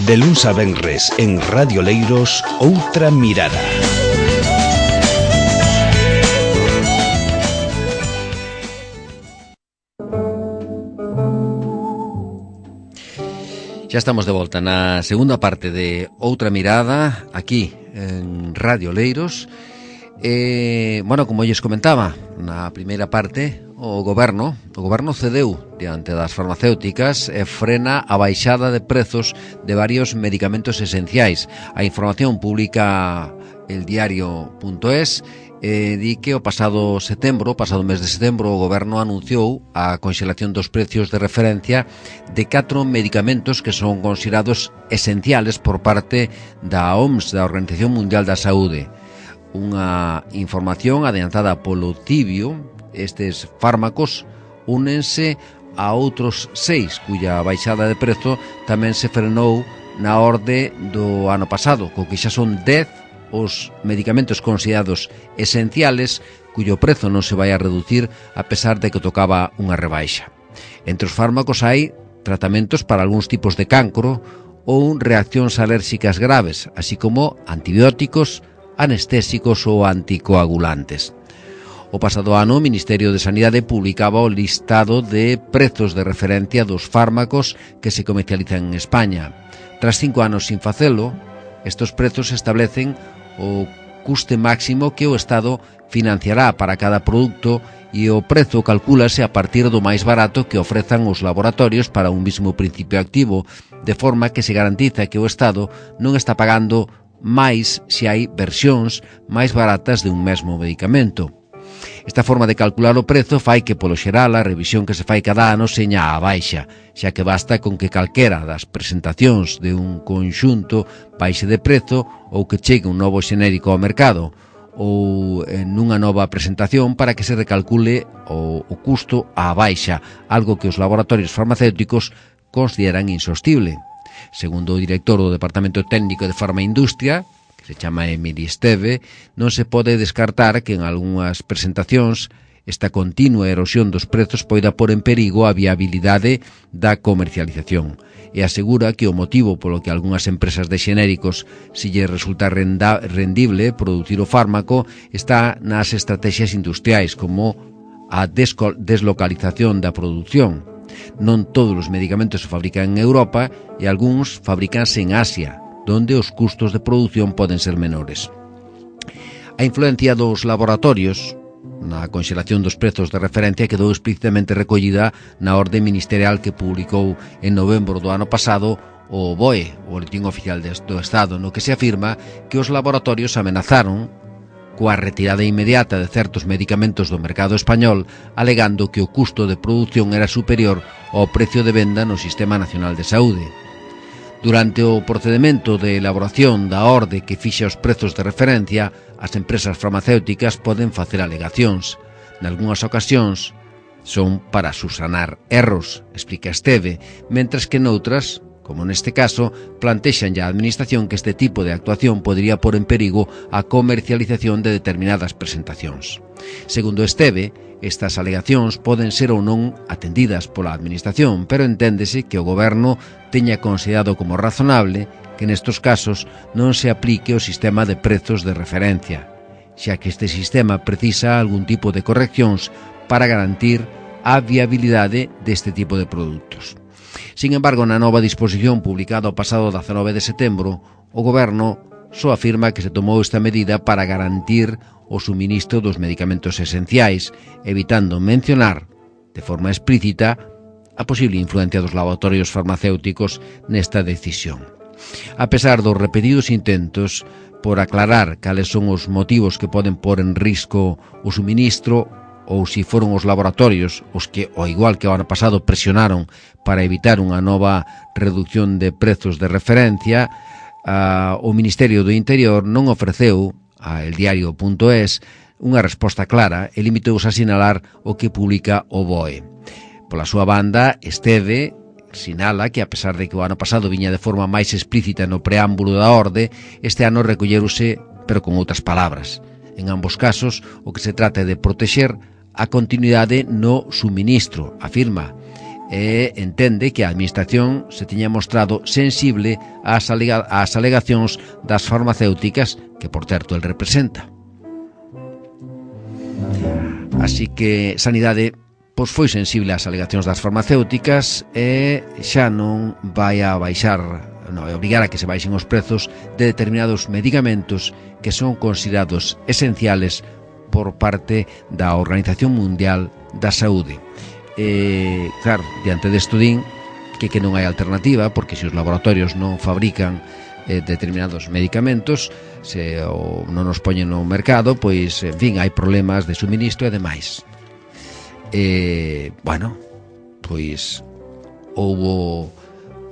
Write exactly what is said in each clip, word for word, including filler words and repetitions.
De luns a venres en Radio Leiros, Outra Mirada. Ya estamos de volta na segunda parte de Outra Mirada, aquí en Radio Leiros. Eh, bueno, como lles comentaba, na primeira parte, o goberno, o goberno cedeu diante das farmacéuticas e frena a baixada de prezos de varios medicamentos esenciais. A información publica el diario punto es eh, di que o pasado setembro, o pasado mes de setembro, o goberno anunciou a conxelación dos precios de referencia de catro medicamentos que son considerados esenciales por parte da O M S, da Organización Mundial da Saúde. Unha información adiantada polo Tibio. Estes fármacos únense a outros seis cuya baixada de prezo tamén se frenou na orde do ano pasado, co que xa son dez os medicamentos considerados esenciales cuyo prezo non se vai a reducir a pesar de que tocaba unha rebaixa. Entre os fármacos hai tratamentos para algúns tipos de cancro ou reaccións alérxicas graves, así como antibióticos, anestésicos ou anticoagulantes. O pasado ano, o Ministerio de Sanidade publicaba o listado de prezos de referencia dos fármacos que se comercializan en España. Tras cinco anos sin facelo, estes prezos establecen o custe máximo que o Estado financiará para cada produto e o prezo calcúlase a partir do máis barato que ofrezan os laboratorios para un mismo principio activo, de forma que se garantiza que o Estado non está pagando máis se hai versións máis baratas de un mesmo medicamento. Esta forma de calcular o prezo fai que, polo xeral, a revisión que se fai cada ano seña a baixa, xa que basta con que calquera das presentacións de un conxunto baixe de prezo ou que chegue un novo xenérico ao mercado ou en unha nova presentación para que se recalcule o, o custo á baixa, algo que os laboratorios farmacéuticos consideran insostible. Segundo o director do Departamento Técnico de Farmaindustria, se chama Emily Esteve, non se pode descartar que en algunhas presentacións esta continua erosión dos prezos poida pôr en perigo a viabilidade da comercialización e asegura que o motivo polo que algunhas empresas de xenéricos se lle resulta renda, rendible producir o fármaco está nas estrategias industriais como a desco, deslocalización da produción. Non todos os medicamentos se fabrican en Europa e algúns fabricanse en Asia, donde os custos de produción poden ser menores. A influencia dos laboratorios na conxelación dos prezos de referencia quedou explícitamente recollida na orde ministerial que publicou en novembro do ano pasado o B O E, o Boletín Oficial do Estado, no que se afirma que os laboratorios amenazaron coa retirada inmediata de certos medicamentos do mercado español, alegando que o custo de produción era superior ao precio de venda no Sistema Nacional de Saúde. Durante o procedimento de elaboración da orde que fixa os prezos de referencia, as empresas farmacéuticas poden facer alegacións. Nalgúnas ocasións son para susanar erros, explica Esteve, mentres que noutras, como neste caso, plantexan ya a Administración que este tipo de actuación podría pôr en perigo a comercialización de determinadas presentacións. Segundo Esteve, estas alegacións poden ser ou non atendidas pola Administración, pero enténdese que o Goberno teña considerado como razonable que nestos casos non se aplique o sistema de prezos de referencia, xa que este sistema precisa algún tipo de correccións para garantir a viabilidade deste tipo de produtos. Sin embargo, na nova disposición publicada o pasado dezanove de setembro, o Goberno só afirma que se tomou esta medida para garantir o suministro dos medicamentos esenciais, evitando mencionar, de forma explícita, a posible influencia dos laboratorios farmacéuticos nesta decisión. A pesar dos repetidos intentos por aclarar cales son os motivos que poden pôr en risco o suministro ou se foron os laboratorios os que, ao igual que o ano pasado, presionaron para evitar unha nova reducción de prezos de referencia, uh, o Ministerio do Interior non ofreceu a el diario punto es unha resposta clara e limitouse a sinalar o que publica o B O E. Pola súa banda, Esteve sinala que, a pesar de que o ano pasado viña de forma máis explícita no preámbulo da orde, este ano recollerouse, pero con outras palabras. En ambos casos, o que se trata é de protexer a continuidade no suministro, afirma, e entende que a Administración se tiña mostrado sensible ás, alega, ás alegacións das farmacéuticas que, por certo, el representa. Así que Sanidade pois foi sensible ás alegacións das farmacéuticas e xa non vai a baixar, non, vai obrigar a que se baixen os prezos de determinados medicamentos que son considerados esenciales por parte da Organización Mundial da Saúde. E, claro, diante desto din que, que non hai alternativa, porque se os laboratorios non fabrican eh, determinados medicamentos, se o, non os poñen no mercado, pois, en fin, hai problemas de suministro e demais. E, bueno, pois houbo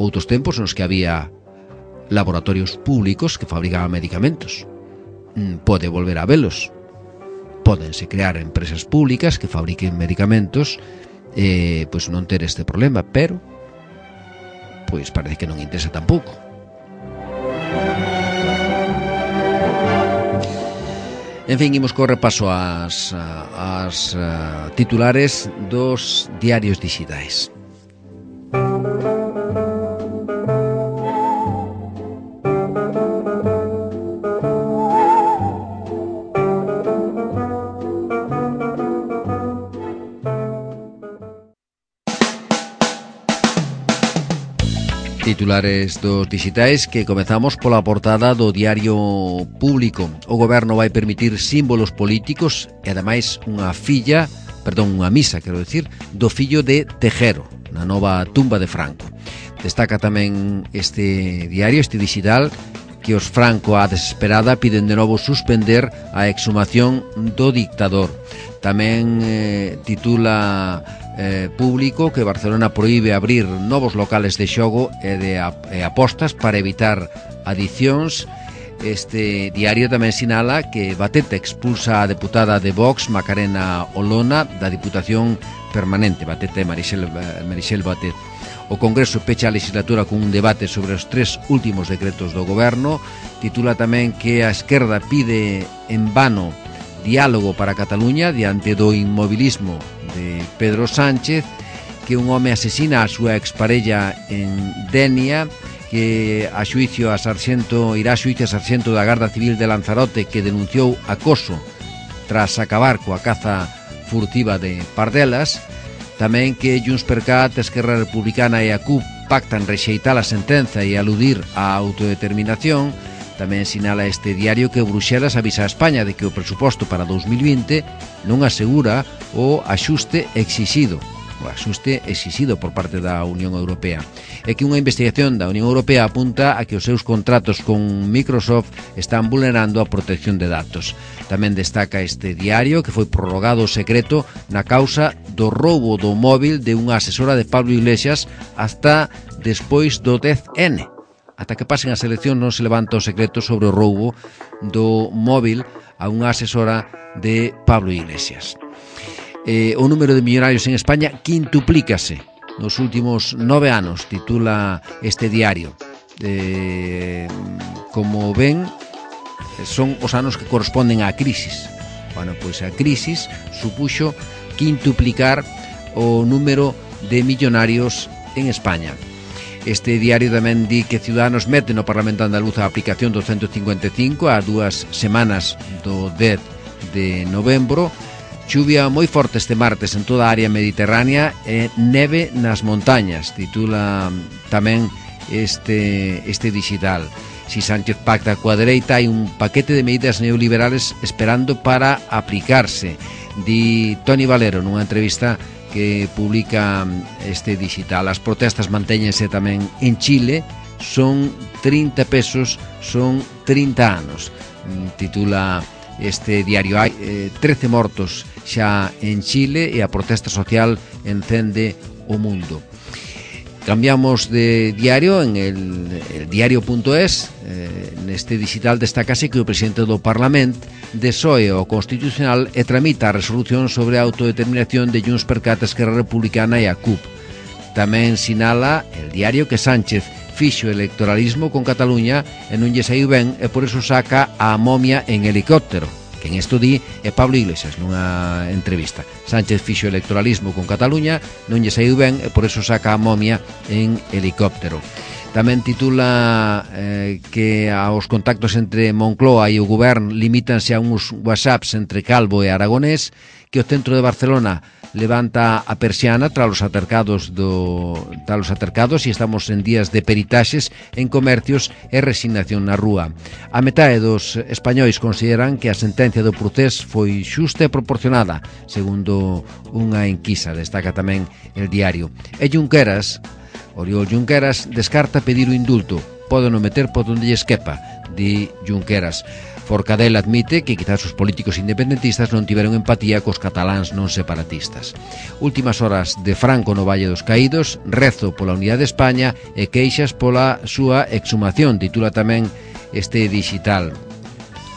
outros tempos nos que había laboratorios públicos que fabricaban medicamentos. Pode volver a velos. Pódense crear empresas públicas que fabriquen medicamentos, eh, pois non ter este problema, pero pois parece que non interesa tampouco. En fin, imos co repaso ás, ás uh, titulares dos diarios digitais. Titulares dos digitais que comezamos pola portada do Diario Público. O goberno vai permitir símbolos políticos e ademais unha filla, perdón, unha misa, quero decir, do fillo de Tejero, na nova tumba de Franco. Destaca tamén este diario, este digital, que os Franco á desesperada piden de novo suspender a exhumación do dictador. Tamén eh, titula eh, Público que Barcelona proíbe abrir novos locales de xogo e de e apostas para evitar adicións. Este diario tamén sinala que Batet expulsa a deputada de Vox, Macarena Olona, da Diputación Permanente. Batet é Marixel, Marixel Batet. O Congreso pecha a legislatura con un debate sobre os tres últimos decretos do goberno. Titula tamén que a esquerda pide en vano diálogo para Cataluña diante do inmobilismo de Pedro Sánchez, que un home asesina a súa exparella en Denia, que a xuicio a sarxento, irá a xuicio a sarxento da Garda Civil de Lanzarote, que denunciou acoso tras acabar coa caza furtiva de pardelas. Tamén que Juntspercat, Esquerra Republicana e a C U P pactan rexeitar a sentenza e aludir á autodeterminación. Tamén sinala este diario que Bruxelas avisa a España de que o presuposto para dous mil vinte non asegura o axuste exixido, o axuste exixido por parte da Unión Europea. É que unha investigación da Unión Europea apunta a que os seus contratos con Microsoft están vulnerando a protección de datos. Tamén destaca este diario que foi prorrogado o secreto na causa do roubo do móvil de unha asesora de Pablo Iglesias hasta despois do dez ene. Ata que pasen as eleccións non se levanta o secreto sobre o roubo do móvil a unha asesora de Pablo Iglesias. Eh, o número de millonarios en España quintuplícase nos últimos nove anos, titula este diario. Eh, como ven, son os anos que corresponden á crisis. Bueno, pois a crisis supuxo quintuplicar o número de millonarios en España. Este diario tamén di que Ciudadanos mete no Parlamento Andaluz a aplicación do ciento cincuenta e cinco a dúas semanas do dez de novembro. Chuvia moi forte este martes en toda a área mediterránea e neve nas montañas, titula tamén este, este digital. Si Sánchez pacta coa dereita, hai un paquete de medidas neoliberales esperando para aplicarse, di Toni Valero nunha entrevista que publica este digital. As protestas mantéñense tamén en Chile, son trinta pesos, son trinta anos, titula este diario. Hai eh, trece mortos xa en Chile e a protesta social encende o mundo. Cambiamos de diario en el, el diario punto es. Eh, neste digital destacase que o presidente do Parlamento desoe o Constitucional e tramita a resolución sobre a autodeterminación de Juntspercat, Esquerra Republicana e a C U P. Tamén sinala el diario que Sánchez fixo electoralismo con Cataluña e non lle saiu ben e por eso saca a momia en helicóptero, Quen isto di é Pablo Iglesias nunha entrevista. Sánchez fixo electoralismo con Cataluña, non lle saiu ben e por eso saca a momia en helicóptero. Tamén titula eh, que aos contactos entre Moncloa e o Govern limítanse a uns whatsapps entre Calvo e Aragonés, que o centro de Barcelona levanta a persiana tras os atercados do tras os atercados e estamos en días de peritaxes en comercios e resignación na rúa. A metade dos españois consideran que a sentencia do procés foi xusta e proporcionada, segundo unha enquisa, destaca tamén el diario. E Junqueras, Oriol Junqueras, descarta pedir o indulto. Pode non meter por onde lle esquepa, di Junqueras. Forcadell admite que quizás os políticos independentistas non tiveron empatía cos cataláns non separatistas. Últimas horas de Franco no Valle dos Caídos, rezo pola unidade de España e queixas pola súa exhumación, titula tamén este digital.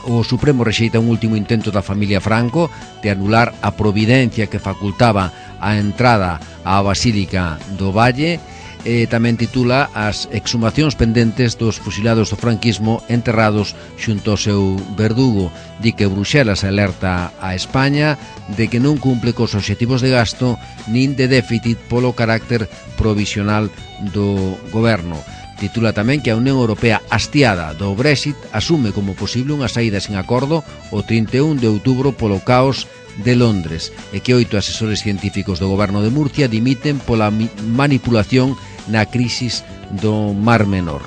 O Supremo rexeita un último intento da familia Franco de anular a providencia que facultaba a entrada á Basílica do Valle. E tamén titula as exhumacións pendentes dos fusilados do franquismo enterrados xunto ao seu verdugo. Di que Bruxelas alerta a España de que non cumple cos obxectivos de gasto nin de déficit polo carácter provisional do goberno. Titula tamén que a Unión Europea, hastiada do Brexit, asume como posible unha saída sen acordo o trinta e un de outubro polo caos de Londres e que oito asesores científicos do goberno de Murcia dimiten pola manipulación na crisis do Mar Menor.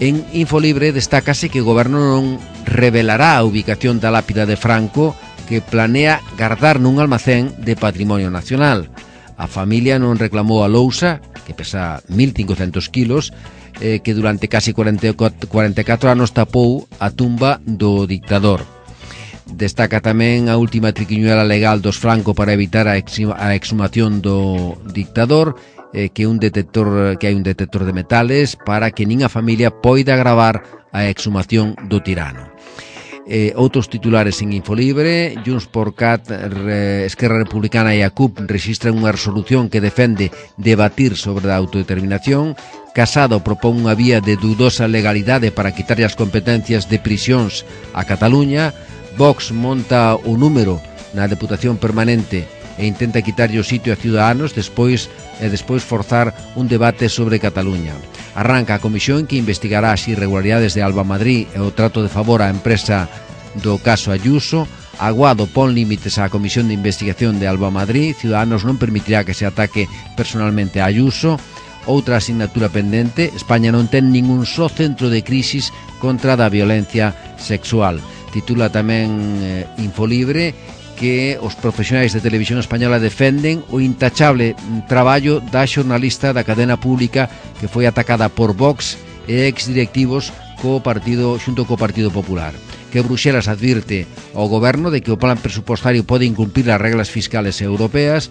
En Infolibre destácase que o goberno non revelará a ubicación da lápida de Franco que planea guardar nun almacén de patrimonio nacional. A familia non reclamou a lousa, que pesa mil cincocentos kilos, eh, que durante casi cuarenta e catro anos tapou a tumba do dictador. Destaca tamén a última triquiñuela legal dos Franco para evitar a, exima, a exhumación do dictador, eh, que un detector que hai un detector de metales para que nin a familia poida gravar a exhumación do tirano. Eh, outros titulares en Infolibre: Junts por Cat, Re, Esquerra Republicana e a C U P registran unha resolución que defende debatir sobre a autodeterminación. Casado propón unha vía de dudosa legalidade para quitarlle as competencias de prisións a Cataluña. Vox monta o número na Deputación Permanente e intenta quitarlle o sitio a Ciudadanos despois e despois forzar un debate sobre Cataluña. Arranca a comisión que investigará as irregularidades de Alba Madrid e o trato de favor á empresa do caso Ayuso. Aguado pon límites á comisión de investigación de Alba Madrid. Ciudadanos non permitirá que se ataque personalmente a Ayuso. Outra asignatura pendente: España non ten ningún só centro de crisis contra da violencia sexual. Titula tamén eh, Infolibre que os profesionais de televisión española defenden o intachable traballo da xornalista da cadena pública que foi atacada por Vox e exdirectivos co partido xunto co Partido Popular. Que Bruxelas advirte ao goberno de que o plan presupostario pode incumprir as reglas fiscales europeas,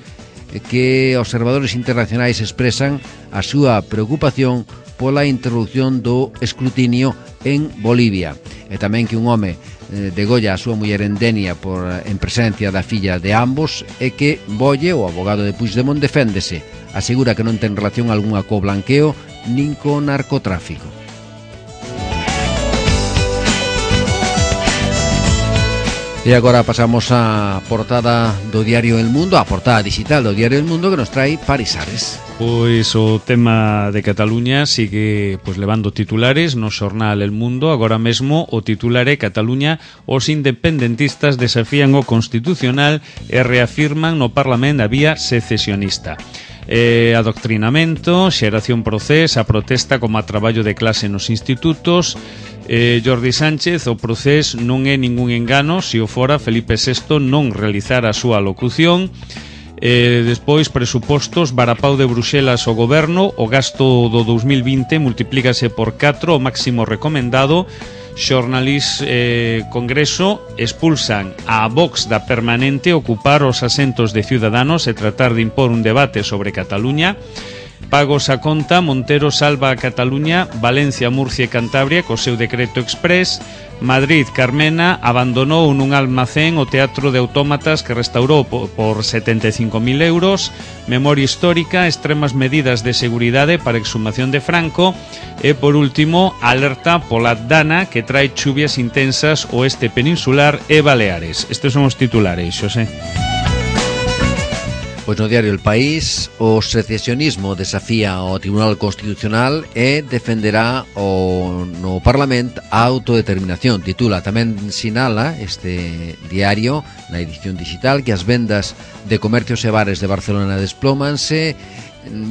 que observadores internacionais expresan a súa preocupación pola interrupción do escrutinio en Bolivia. E tamén que un home degolla a súa muller en Denia por en presencia da filla de ambos e que Bolle, o abogado de Puigdemont, deféndese. Asegura que non ten relación algunha co blanqueo nin co narcotráfico. E agora pasamos á portada do diario El Mundo, a portada digital do diario El Mundo que nos trae Paris Ares. Pois o tema de Cataluña sigue pois levando titulares no xornal El Mundo. Agora mesmo o titular é: Cataluña, os independentistas desafían o Constitucional e reafirman no Parlamento a vía secesionista. Eh, adoctrinamento, xeración Procés, a protesta como a traballo de clase nos institutos. Eh, Jordi Sánchez, o Procés non é ningún engano, se o fora Felipe sexto non realizara a súa locución. Eh, despois, presupostos, varapau de Bruxelas ao goberno, o gasto do dous mil vinte multiplícase por catro, o máximo recomendado. Xornalis eh, Congreso, expulsan a Vox da Permanente ocupar os asentos de Ciudadanos e tratar de impor un debate sobre Cataluña. Pagos a conta, Montero salva a Cataluña, Valencia, Murcia e Cantabria co seu decreto exprés. Madrid, Carmena abandonou nun almacén o Teatro de Autómatas que restaurou por setenta e cinco mil euros. Memoria histórica, extremas medidas de seguridade para exhumación de Franco. E por último, alerta pola Dana que trae chuvias intensas oeste peninsular e Baleares. Estes son os titulares, Xosé. Pois no diario El País, o secesionismo desafía ao Tribunal Constitucional e defenderá o, no Parlamento a autodeterminación. Titula, tamén sinala este diario na edición digital que as vendas de comercios e bares de Barcelona desplómanse.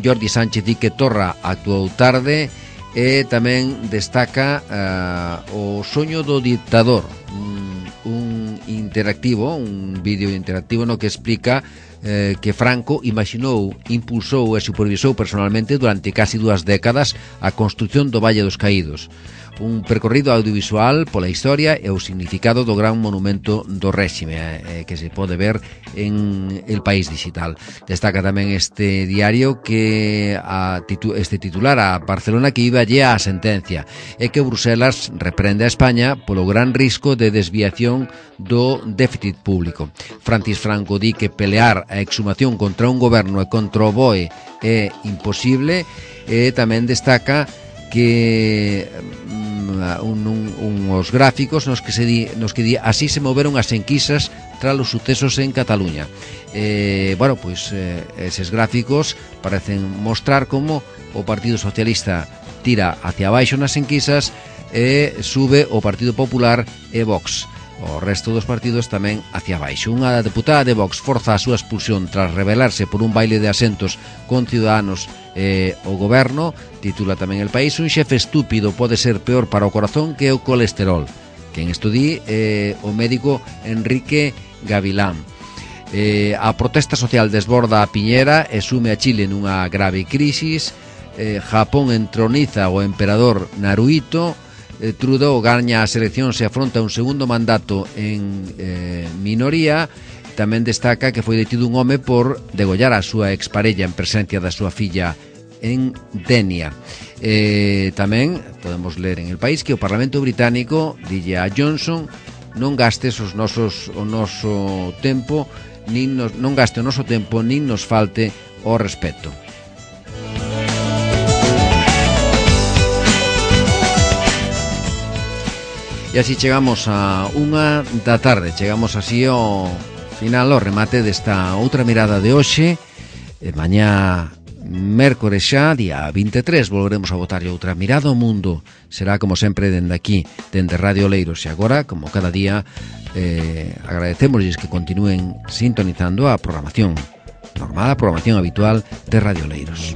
Jordi Sánchez di que Torra actuou tarde e tamén destaca uh, o soño do dictador, un, un interactivo, un vídeo interactivo no que explica Eh, que Franco imaginou, impulsou e supervisou personalmente durante casi dúas décadas a construción do Valle dos Caídos, un percorrido audiovisual pola historia e o significado do gran monumento do réxime eh, que se pode ver en El País Digital. Destaca tamén este diario que a titu- este titular a Barcelona que iba allí a sentencia e que Bruselas reprende a España polo gran risco de desviación do déficit público. Francis Franco di que pelear a exhumación contra un goberno e contra o B O E é imposible e tamén destaca que un, un, uns gráficos nos que se di, nos que di así se moveron as enquisas tras os sucesos en Cataluña. Eh, bueno, pois eh, eses gráficos parecen mostrar como o Partido Socialista tira hacia abaixo nas enquisas e sube o Partido Popular e Vox. O resto dos partidos tamén hacia baixo. Unha deputada de Vox forza a súa expulsión tras rebelarse por un baile de asentos con Ciudadanos e o goberno. Titula tamén El País, un xefe estúpido pode ser peor para o corazón que o colesterol. Quen estudí eh, o médico Enrique Gavilán. Eh, a protesta social desborda a Piñera e sume a Chile nunha grave crisis. eh, Japón entroniza o emperador Naruhito. Trudeau gaña as eleccións e afronta un segundo mandato en eh, minoría. Tamén destaca que foi detido un home por degollar a súa exparella en presencia da súa filla en Denia. Eh, tamén podemos ler en El País que o Parlamento Británico dille a Johnson non gastes os nosos, o noso tempo nin nos, non gaste o noso tempo nin nos falte o respeto. E así chegamos a unha da tarde, chegamos así ao final, ao remate desta outra mirada de hoxe. E mañá, mércores xa, día vinte e tres, volveremos a botarlle outra mirada ao mundo. Será como sempre dende aquí, dende Radio Oleiros. E agora, como cada día, eh, agradecémosles que continúen sintonizando a programación normal, a programación habitual de Radio Oleiros.